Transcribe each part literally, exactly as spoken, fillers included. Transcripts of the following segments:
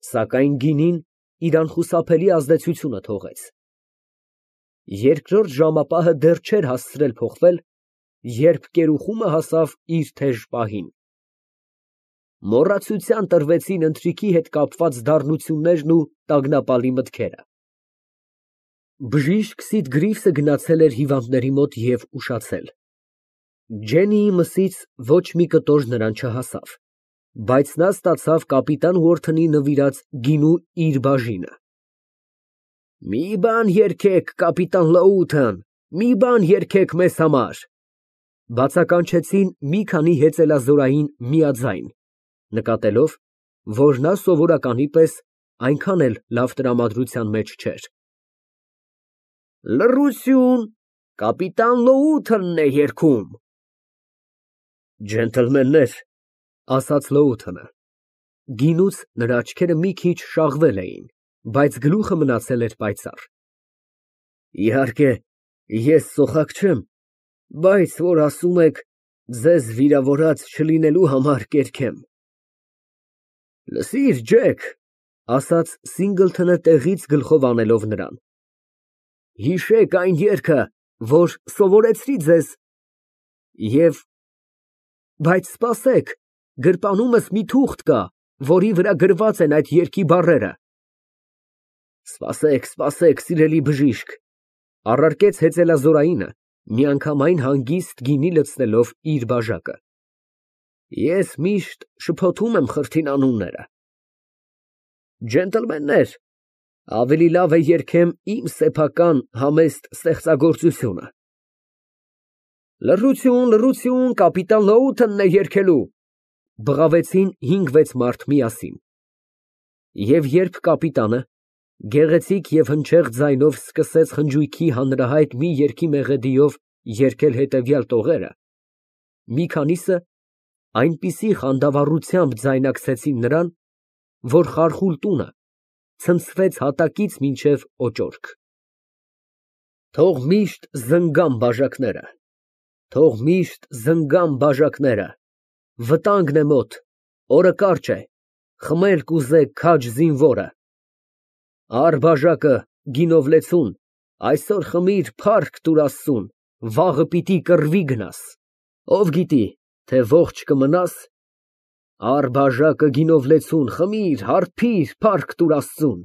Սակայն գինին իր անխուսափելի ազդեցությունը թողեց։ Երկրորդ ժամապահը դեռ չէր հասցրել փոխվել, երբ կերուխումը հասավ իր թեժ պահին։ Մոռացության տրվեցին ընթրիքի հետ կապված դառնություններն ու տագնապալի մտքերը։ Բժիշկ Սիդգրիվսը գնացել էր հիվանդների մոտ և ուշացել։ Ջեննիի մսից ոչ մի կտոր նրան չհասավ, բայց նա ստացավ կապիտան Ուորթոնի նվիրած գինու իր բաժինը։ «Մի բան երգեք, կապիտան Լոութոն, մի բան երգեք մեզ համար», բացականչեցին մի քանի հեծելազորային միաձայն, նկատելով, որ նա սովորականի պես այնքան էլ լավ տրամադրության մեջ չէր։ Լռություն, կապիտան Լոութոնն է երգում։ Ջենտլմեններ, ասաց Լոութոնը, գինուց նրա աչքերը մի քիչ շաղվել էին, բայց գլուխը մնացել էր պայծառ։ Իհարկե, ես սոխակ չեմ, բայց որ ասում եք, ձեզ վիրավորած չլինելու համար կերգեմ։ Լսիր, Ջեք, ասաց Սինգլթոնը տեղից գլխով անելով նրան, հիշեք այն երգը, որ սովորեցրի ձեզ, և… բայց սպասեք, գրպանումս մի թուղթ կա, որի վրա գրված են այդ երգի բառերը։ Սպասեք, սպասեք, սիրելի բժիշկ, առարկեց հեծելազորայինը, միանգամայն հանգիստ գինի լցնելով իր բաժակը։ Ես միշտ շփոթում եմ խրթին անունները։ Ջենտլմեններ, ավելի լավ է երգեմ իմ սեփական համեստ ստեղծագործությունը։ Լռություն, լռություն, կապիտան Լոութոնն է երգելու, բղավեցին հինգ֊վեց մարդ միասին։ Եվ երբ կապիտանը գեղեցիկ և հնչեղ ձայնով սկսեց խնջույքի հանրահայտ մի երգի մեղեդիով երգել հետևյալ տողերը, մի քանիսը այնպիսի խանդավառությամբ ձայնակցեցին նրան, որ խարխուլ տունը ցնցվեց հատակից մինչև օճորք։ Թող միշտ զնգան բաժակները, թող միշտ զնգան բաժակները, վտանգն է մոտ, օրը կարճ է, խմել կուզե քաջ զինվորը։ Առ բաժակը, գինով լեցուն, այսօր խմիր, փառք տուր Աստծուն, վաղը պիտի կռվի գնաս, ով գիտի, թե ողջ կմնաս։ Առ բաժակը, գինով լեցուն, խմիր, հարբիր, փառք տուր Աստծուն։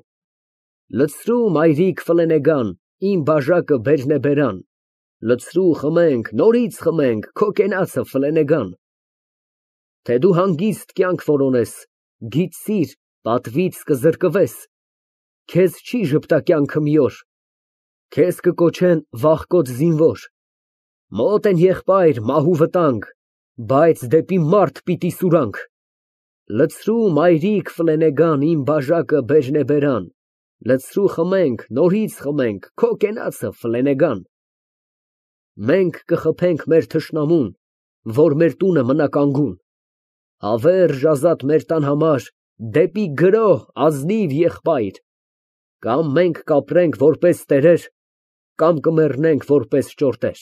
Լցրու, մայրիկ Ֆլենեգան, իմ բաժակը բերն է բերան, լցրու, խմենք, նորից խմենք, քո կենացը Ֆլենեգան։ Թե դու հանգիստ կյանք որոնես, գիտիր, պատվից կզրկվես, քեզ չի ժպտա կյանքը մի օր, քեզ կկոչեն վախկոտ զինվոր, մոտ են եղբայր, մահ ու վտանգ, բայց դեպի մարդ պիտի սուրանք։ Լցրու, մայրիկ Ֆլենեգան, իմ բաժակը բերն է բերան, լցրու, խմենք, նորից խմենք, քո կենացը Ֆլենեգան։ Մենք կխփենք մեր թշնամուն, որ մեր տունը մնա կանգուն, հավերժ ազատ մեր տան համար, դեպի գրոհ ազնիվ եղբայր, կամ մենք կապրենք որպես տերեր, կամ կմեռնենք որպես ճորտեր։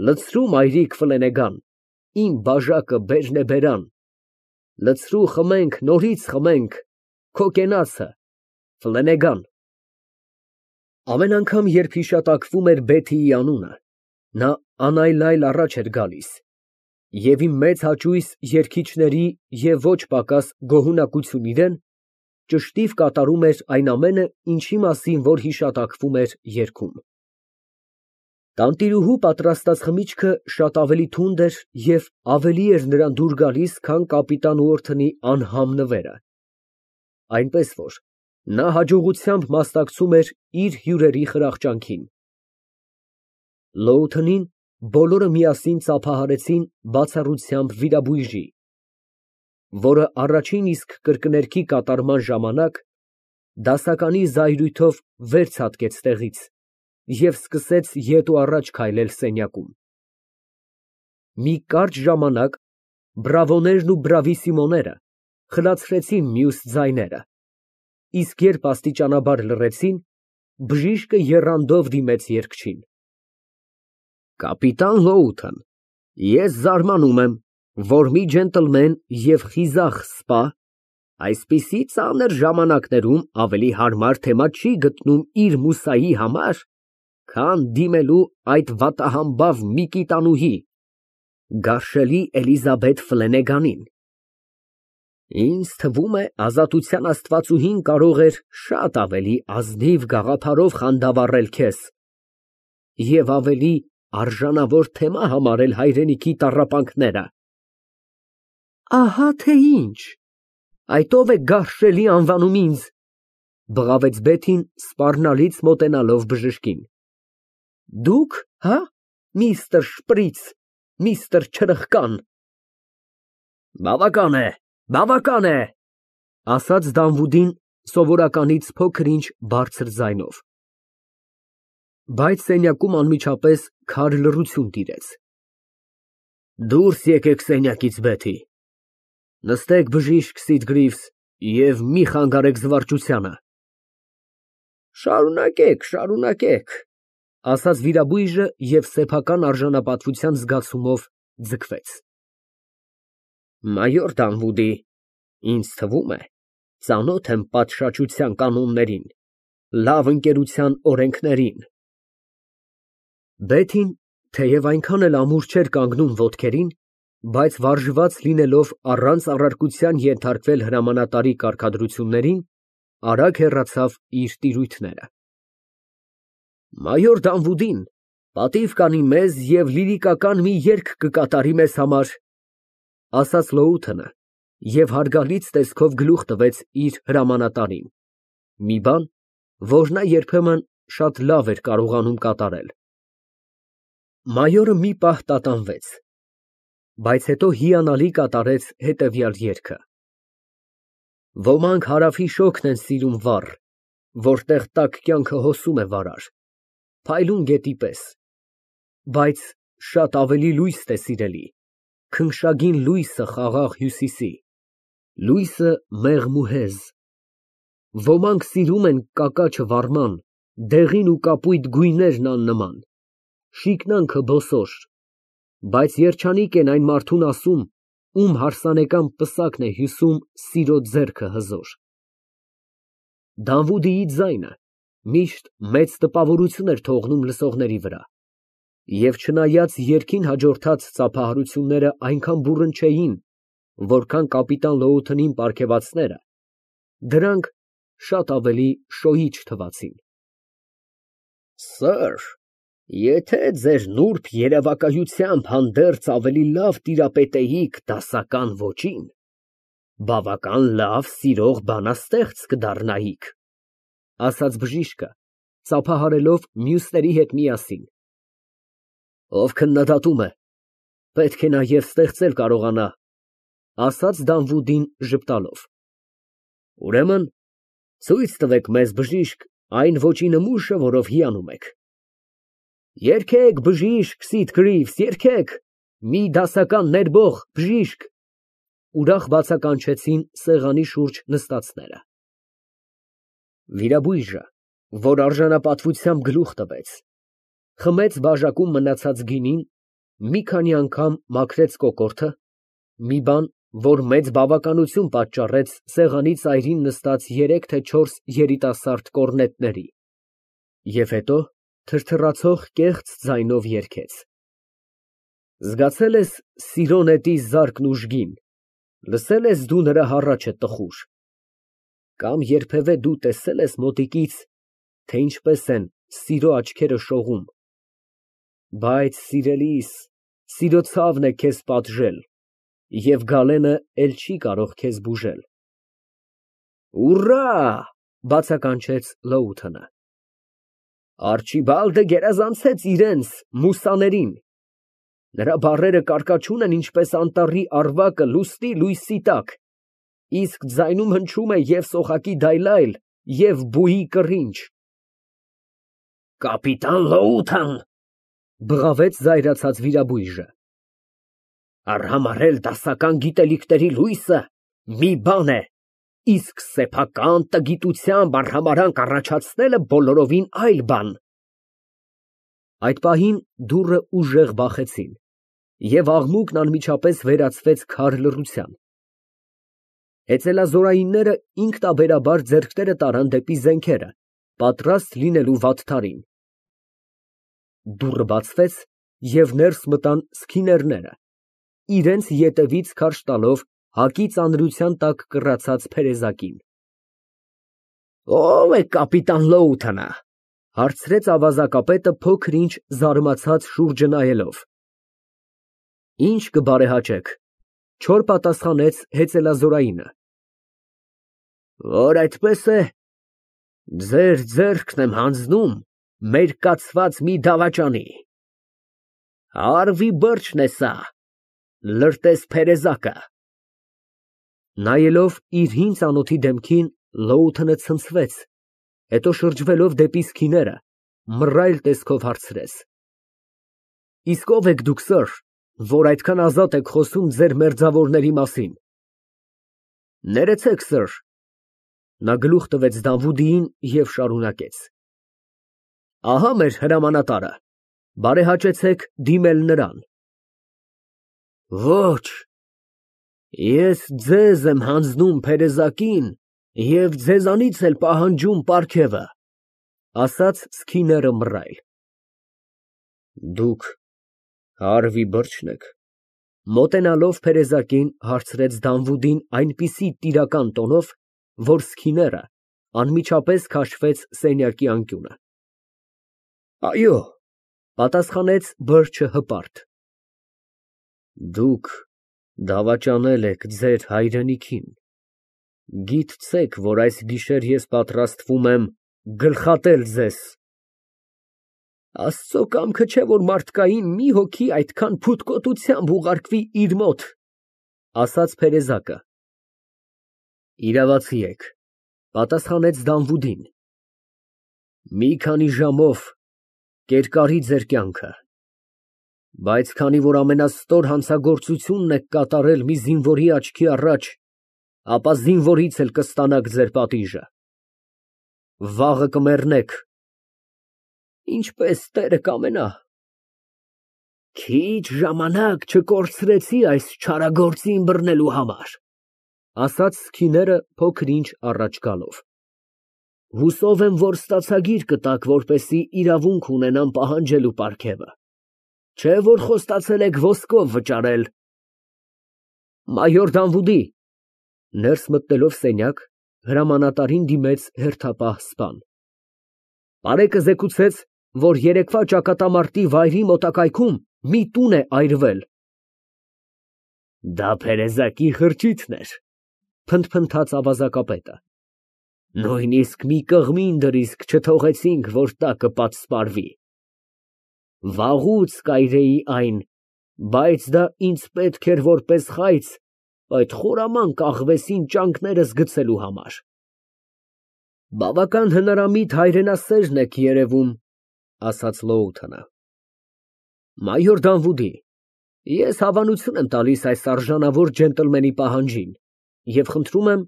Լցրու, մայրիկ Ֆլենեգան, իմ բաժակը բերն է բերան, լցրու, խմենք, նորից խմենք, քո կենացը Ֆլենեգան։ Ամեն անգամ, երբ հիշատակվում էր Բեթիի անունը, նա անայլայլ առաջ էր գալիս, և իմ մեծ հաճույս երգիչների և ոչ պակաս գոհունակություն իրեն, ճշտիվ կատարում էր այն ամենը, ինչի մասին որ հիշատակվում էր երգում։ Տանտիրուհու պատրաստած խմիչքը շատ ավելի թունդ էր և ավելի էր նրան դուր գալիս, քան կապիտան Ուորթոնի անհամ նվերը, այնպես որ նա հաջողությամբ մասնակցում էր իր հյուրերի խրախճանքին։ Լոութոնին բոլորը միասին ծափահարեցին բացառությամբ վիրաբույժի, որը առաջին իսկ կրկներգի կատարման ժամանակ դասականի զայրույթով վեր ցատկեց տեղից և սկսեց ետ ու առաջ քայլել սենյակում։ Մի կարճ ժամանակ բրավոներն ու բրավիսիմոները խլացրեցին մյուս ձայները, իսկ երբ աստիճանաբար լռեցին, բժիշկը եռանդով դիմեց երգչին. Կապիտան Լոութոն, ես զարմանում եմ, որ մի ջենտլմեն և խիզախ սպա Այսպիսի ծանր ժամանակներում ավելի հարմար թեմա չի գտնում իր մուսայի համար, քան դիմելու այդ վատահամբավ Միկիտանուհի, գարշելի Էլիզաբեթ Ֆլենեգանին։ Ինձ թվում է, ազատության աստվածուհին կարող էր շատ ավելի ազնիվ գաղափարով խանդավառել քեզ և ավելի արժանավոր թեմա համարել հայրենիքի տառապանքները։ Ահա թե ինչ, այդ ո՞վ է գարշելի անվանում ինձ, բղավեց Բեթին սպառնալից մոտենալով բժշկին։ Դուք, հա, միստր Շպրից, միստր Չրխկան։ Բավական է, բավական է, ասաց Դանվուդին սովորականից փոքր-ինչ բարձր ձայնով։ Բայց սենյակում անմիջապես քար լռություն տիրեց։ Դուրս եկեք սենյակից, Բեթի, նստեք բժիշկ Սիթգրիվս և մի խանգարեք զվարճությանը։ Շարունակեք, շարունակեք, ասաց վիրաբույժը և սեփական արժանապատվության զգացումով ձգվեց։ Մայոր Դանվուդի, ինձ թվում է, ծանոթ եմ պատշաճության կանոններին, լավ ընկերության օրենքներին։ Բեթին, թեև այնքան էլ ամուր չէր կանգնում ոտքերին, բայց վարժված լինելով առանց առարկության ենթարկվել հրամանատարի կարգադրություններին, արագ հեռացավ իր տիրույթները։ Մայոր Դանվուդին պատիվ կանի մեզ և լիրիկական մի երգ կկատարի մեզ համար, ասաց Լոութենը և հարգալից տեսքով գլուխ տվեց իր հրամանատարին, մի բան, որ նա երբեմն շատ լավ էր կարողանում կատարել։ Մայորը մի պահ տատանվեց, բայց հետո հիանալի կատարեց հետևյալ երգը. Ոմանք հարավի շոգն են սիրում վառ, որտեղ տաք կյանքը հոսում է վարար, փայլուն գետի պես, բայց շատ ավելի լույս է սիրելի, քնքշագին լույսը խաղաղ հյուսիսի, լույսը մեղմ ու հեզ։ Ոմանք սիրում են կակաչը վառման, դեղին ու կապույտ գույներն աննման, շիկնանքը բոսոր, բայց երջանիկ են այն մարդուն ասում, ում հարսանեկան պսակն է հյուսում սիրո ձեռքը հզոր։ Դանվուդիի ձայնը միշտ մեծ տպավորություն էր թողնում լսողների վրա, և չնայած երգին հաջորդած ծափահարությունները այնքան բուռն չէին, որքան կապիտան Լոութենին պարգևածները, դրանք շատ ավելի շոյիչ թվացին։ Սըր, եթե ձեր նուրբ երևակայությամբ հանդերձ ավելի լավ տիրապետեիք դասական ոճին, բավական լավ սիրող բանաստեղծ կդառնայիք, ասաց բժիշկը, ծափահարելով մյուսների հետ միասին։ Ով քննադատում է, պետք է նաև ստեղծել կարողանա, ասաց Դանվուդին ժպտալով։ Ուրեմն ցույց տվեք մեզ, բժիշկ, այն ոճի նմուշը, որով հիանում եք։ Երգեք, բժիշկ Սիթգրիվս, երգեք, մի դասական ներբող բժիշկ, ուրախ բացականչեցին սեղանի շուրջ նստածները։ Վիրաբույժը, որ արժանապատվությամբ գլուխ տվեց, խմեց բաժակում մնացած գինին, մի քանի անգամ մաքրեց կոկորդը, մի բան, որ մեծ բավականություն պատճառեց սեղանի ծայրին նստած երեք թե չորս երիտասարդ կոռնետների, և հետո թրթռացող կեղծ ձայնով երգեց. Զգացե՞լ ես սիրո նետի զարկն ուժգին, լսե՞լ ես դու նրա հառաչը տխուր, կամ երբևէ դու տեսե՞լ ես մոտիկից, թե ինչպես են սիրո աչքերը շողում, բայց սիրելիս, սիրո ցավն է քեզ պատժել, և գալենը էլ չի կարող քեզ բուժել։ Ուռա, բացականչեց Լոութենը։ Արչիբալդը գերազանցեց իրենց մուսաներին, նրա բառերը կարկաչուն են ինչպես անտառի առվակը լուսնի լույսի տակ, իսկ ձայնում հնչում է և սոխակի դայլայլ, և բուի կռինչ։ Կապիտան Լոութեն, բղավեց զայրացած վիրաբույժը, արհամարհել դասական գիտելիքների լույսը մի բան է, իսկ սեփական տգիտությամբ արհամարանք առաջացնելը բոլորովին այլ բան։ Այդ պահին դուռը ուժեղ բախեցին, և աղմուկն անմիջապես վերածվեց քար լռության։ Հեծելազորայինները ինքնաբերաբար ձեռքները տարան դեպի զենքերը, պատրաստ լինելու վատթարին։ Դուռը բացվեց, և ներս մտան սքիներները, իրենց ետևից քարշ տալով հակի ծանրության տակ կռացած փերեզակին։ «Ո՞վ է կապիտան Լոութենը», ֊ հարցրեց ավազակապետը փոքր֊ինչ զարմացած շուրջը նայելով։ «Ինչ կբարեհաճեք», ֊ չոր պատասխանեց հեծելազորայինը։ «Որ այդպես է, ձեր ձեռքն եմ հանձնում մեր կացված մի դավաճանի։ Հարվի բրջն է սա, լրտես փերեզակը»։ Նայելով իր հին ծանոթի դեմքին, Լոութենը ցնցվեց, հետո շրջվելով դեպի սքիները, մռայլ տեսքով հարցրեց. «Իսկ ո՞վ եք դուք, սըր, որ այդքան ազատ եք խոսում ձեր մերձավորների մասին»։ «Ներեցեք, սըր»։ Նա գլուխ տվեց Դավուդիին և շարունակեց. «Ահա մեր հրամանատարը, բարեհաճեցեք դիմել նրան»։ «Ոչ, ես ձեզ եմ հանձնում փերեզակին և ձեզանից էլ պահանջում պարգևը», ֊ ասաց սքիները մռայլ։ «Դուք հարվի բրջն եք», ֊ մոտենալով փերեզակին, հարցրեց Դանվուդին այնպիսի տիրական տոնով, որ սքիները անմիջապես քաշվեց սենյակի անկյունը։ «Այո», ֊ պատասխանեց բրջը հպարտ։ «Դուք դավաճանել եք ձեր հայրենիքին, գիտցեք, որ այս գիշեր ես պատրաստվում եմ գլխատել ձեզ»։ «Աստծո կամքը չէ, որ մարդկային մի հոգի այդքան փութկոտությամբ ուղարկվի իր մոտ», ֊ ասաց փերեզակը։ «Իրավացի եք», ֊ պատասխանեց Դանվուդին։ «Մի քանի ժամով կերկարի ձեր կյանքը, բայց քանի որ ամենաստոր հանցագործությունն եք կատարել մի զինվորի աչքի առաջ, ապա զինվորից էլ կստանաք ձեր պատիժը։ Վաղը կմեռնեք»։ «Ինչպես տերը կամենա»։ «Քիչ ժամանակ չկորցրեցի այս չարագործին բռնելու համար», ֊ ասաց սքիները փոքր֊ինչ առաջ գալով։ «Հուսով եմ, որ ստացագիր կտաք, որպեսզի իրավունք ունենամ պահանջելու պարգևը, չէ՞ որ խոստացել եք ոսկով վճարել»։ «Մայոր Դանվուդի», ֊ ներս մտնելով սենյակ, հրամանատարին դիմեց հերթապահ սպան, «պարեկը զեկուցեց, որ երեկվա ճակատամարտի վայրի մոտակայքում մի տուն է այրվել»։ «Դա փերեզակի խրճիթն էր», ֊ փնթփնթաց ավազակապետը։ «Նույնիսկ մի կղմին դրիսկ չթողեցինք, որ տակը պատսպարվի։ Վաղուց կայրեի այն, բայց դա ինձ պետք էր որպես խայծ այդ խորամանկ աղվեսին ճանկներս գցելու համար»։ «Բավական հնարամիտ հայրենասերն եք երևում», ֊ ասաց Լոութենը։ «Մայոր Դանվուդի, ես հավանություն եմ տալիս այս արժանավոր ջենտլմենի պահանջին և խնդրում եմ,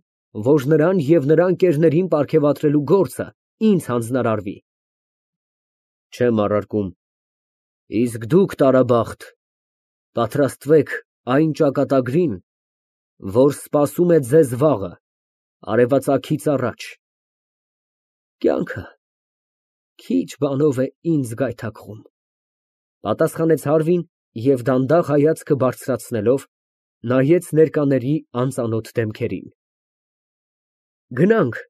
որ նրան և նրա ընկերներին պարգևատրելու գործը ինձ հանձնարարվի»։ «Չեմ առարկում։ Իսկ դուք, տարաբախտ, պատրաստվեք այն ճակատագրին, որ սպասում է ձեզ վաղը, արևածագից առաջ։ Կյանքը քիչ բանով է ինձ գայթակղում», ֊ պատասխանեց Հարվին և դանդաղ հայացքը բարձրացնելով, նայեց ներկաների անծանոթ դեմքերին։ «Գնանք,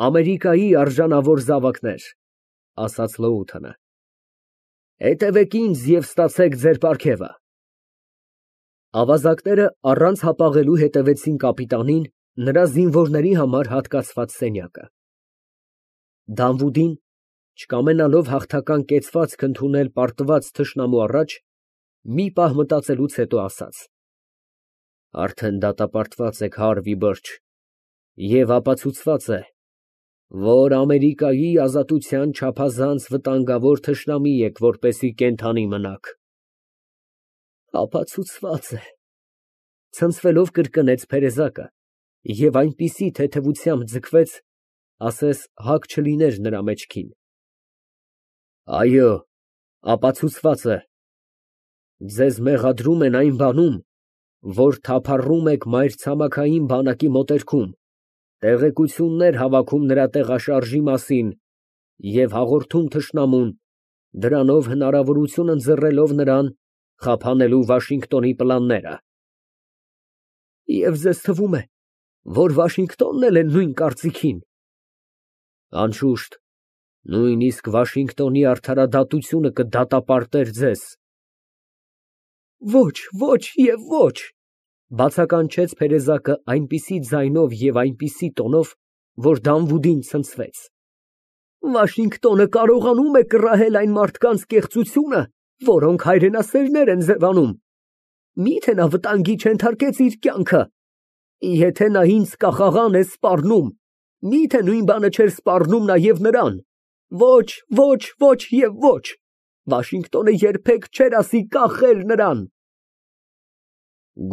Ամերիկայի արժանավոր զավակներ», ֊ ասաց Լոութենը։ «Հետևեք ինձ և ստացեք ձեր պարգևը»։ Ավազակները առանց հապաղելու հետևեցին կապիտանին նրա զինվորների համար հատկացված սենյակը։ Դանվուդին, չկամենալով հաղթական կեցվածք ընդունել պարտված թշնամու առաջ, մի պահ մտածելուց հետո ասաց. «Արդեն դատապարտված եք, Հարվի բրջ, և ապացուցված է, որ Ամերիկայի ազատության չափազանց վտանգավոր թշնամի եք, որպեսզի կենդանի մնաք»։ «Ապացուցված է», ֊ ցնցվելով կրկնեց փերեզակը և այնպիսի թեթևությամբ ձգվեց, ասես հագ չլիներ նրա մեջքին։ «Այո, ապացուցված է։ Ձեզ մեղադրում են այն բանում, որ թափառում եք մայրցամաքային բանակի մոտերքում, տեղեկություններ հավաքում նրա տեղաշարժի մասին և հաղորդում թշնամուն, դրանով հնարավորություն ընձեռելով նրան խափանելու Վաշինգտոնի պլանները։ Եվ ձեզ թվում է, որ Վաշինգտոնն էլ է նույն կարծիքին։ Անշուշտ, նույնիսկ Վաշինգտոնի արդարադատությունը կդատապարտեր ձեզ։ Ոչ, ոչ և ոչ, բացականչեց Փերեզակը այնպիսի ձայնով և այնպիսի տոնով, որ Դանվուդին ցնցվեց։ Վաշինգտոնը կարողանում է կռահել այն մարդկանց կեղծությունը, որոնք հայրենասերներ են ձևանում։ Մի՞թե նա վտանգի չենթարկեց իր կյանքը։ Եթե նա ինձ կախաղան է սպառնում, մի՞թե նույն բանը չէր սպառնում նաև նրան։ Ոչ, ոչ, ոչ և ոչ, Վաշինգտոնը երբեք չէր ասի կախել նրան։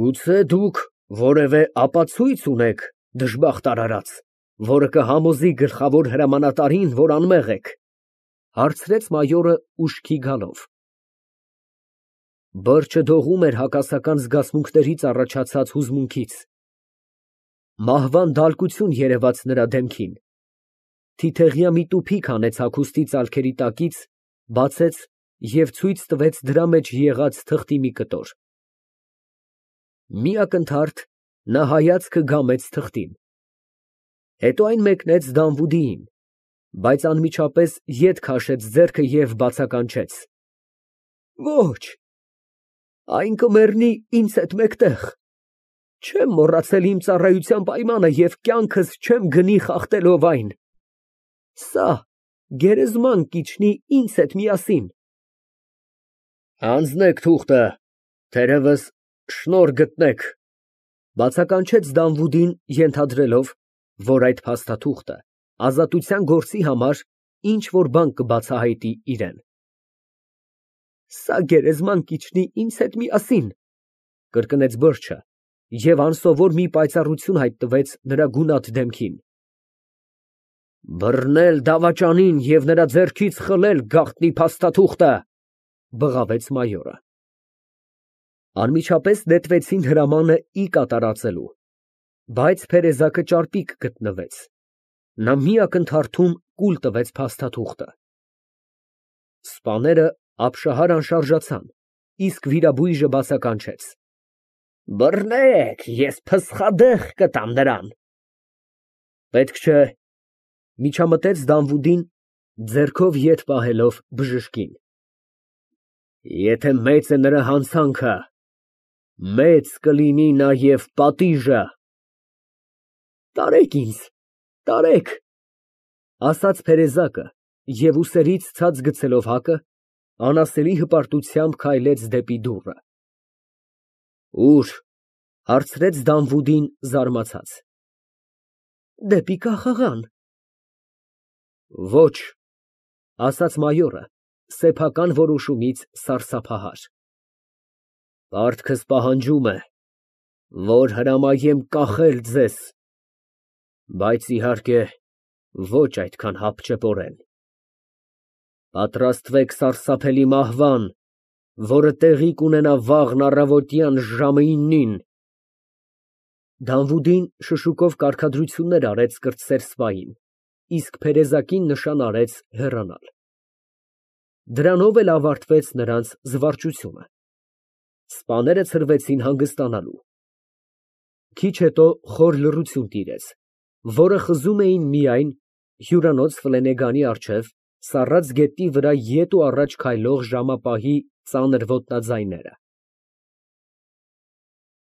Գուցե դուք որևէ ապացույց ունեք, դժբախտ արարած, որը կհամոզի գլխավոր հրամանատարին, որ անմեղ եք, հարցրեց մայորը ուշքի գալով։ Բրջը դողում էր հակասական զգացմունքներից առաջացած հուզմունքից։ Մահվան դալկություն երևաց նրա դեմքին։ Թիթեղյա մի տուփիկ հանեց հագուստի ծալքերի տակից, բացեց և ցույց տվեց դրա մեջ եղած թղթի մի կտոր։ Մի ակնթարթ նա հայացքը գամեց թղթին, հետո այն մեկնեց Դանվուդիին, բայց անմիջապես ետ քաշեց ձեռքը և բացականչեց. Ոչ, այն կմեռնի ինձ հետ մեկտեղ, չեմ մոռացել իմ ծառայության պայմանը և կյանքս չեմ գնի խախտելով այն, սա գերեզման կիջնի ինձ հետ միասին։ Հանձնեք թուղթը, թերևս շնորհ գտնեք, բացականչեց Դանվուդին, ենթադրելով, որ այդ փաստաթուղթը ազատության գործի համար ինչ֊որ բան կբացահայտի իրան։ Սա գերեզման կիջնի ինձ հետ միասին, կրկնեց բրջը և անսովոր մի պայծառություն հայտնվեց նրա գունատ դեմքին։ Բռնել դավաճանին և նրա ձեռքից խլել գաղտնի փաստաթուղթը, բղավեց մայորը։ Անմիջապես նետվեցին հրամանը ի կատարածելու, բայց Փերեզակը ճարպիկ գտնվեց, նա մի ակնթարթում կուլ տվեց փաստաթուղթը։ Սպաները ապշահար անշարժացան, իսկ վիրաբույժը բացականչեց. Բռնեք, ես փսխադեղ կտամ նրան։ Պետք չէ, միջամտեց Դանվուդին, ձեռքով ետ պահելով բժշկին։ Եթե մեծ է նրա հանցանքը, մեծ կլինի նաև պատիժը։ Տարեք ինձ, տարեք, ասաց Փերեզակը և ուսերից ցած գցելով հակը, անասելի հպարտությամբ քայլեց դեպի դուռը։ Ո՞ւր, հարցրեց Դանվուդին զարմացած։ Դեպի կախաղան։ Ոչ, ասաց մայորը, սեփական որոշումից սարսափահար։ Պարտքս պահանջում է, որ հրամայեմ կախել ձեզ, բայց իհարկե ոչ այդքան հապճեպորեն։ Պատրաստվեք սարսափելի մահվան, որը տեղի կունենա վաղն առավոտյան ժամը իննին։ Դանվուդին շշուկով կարգադրություններ արեց կրտսեր սպային, իսկ Փերեզակին նշան արեց հեռանալ։ Դրանով էլ ավարտվեց նրանց զվարճությունը։ Սպաները ցրվեցին հանգստանալու։ Քիչ հետո խոր լռություն տիրեց, որը խզում էին միայն հյուրանոց ֆլենեգանի առջև սառած գետնի վրա ետ ու առաջ քայլող ժամապահի ծանր ոտնաձայները։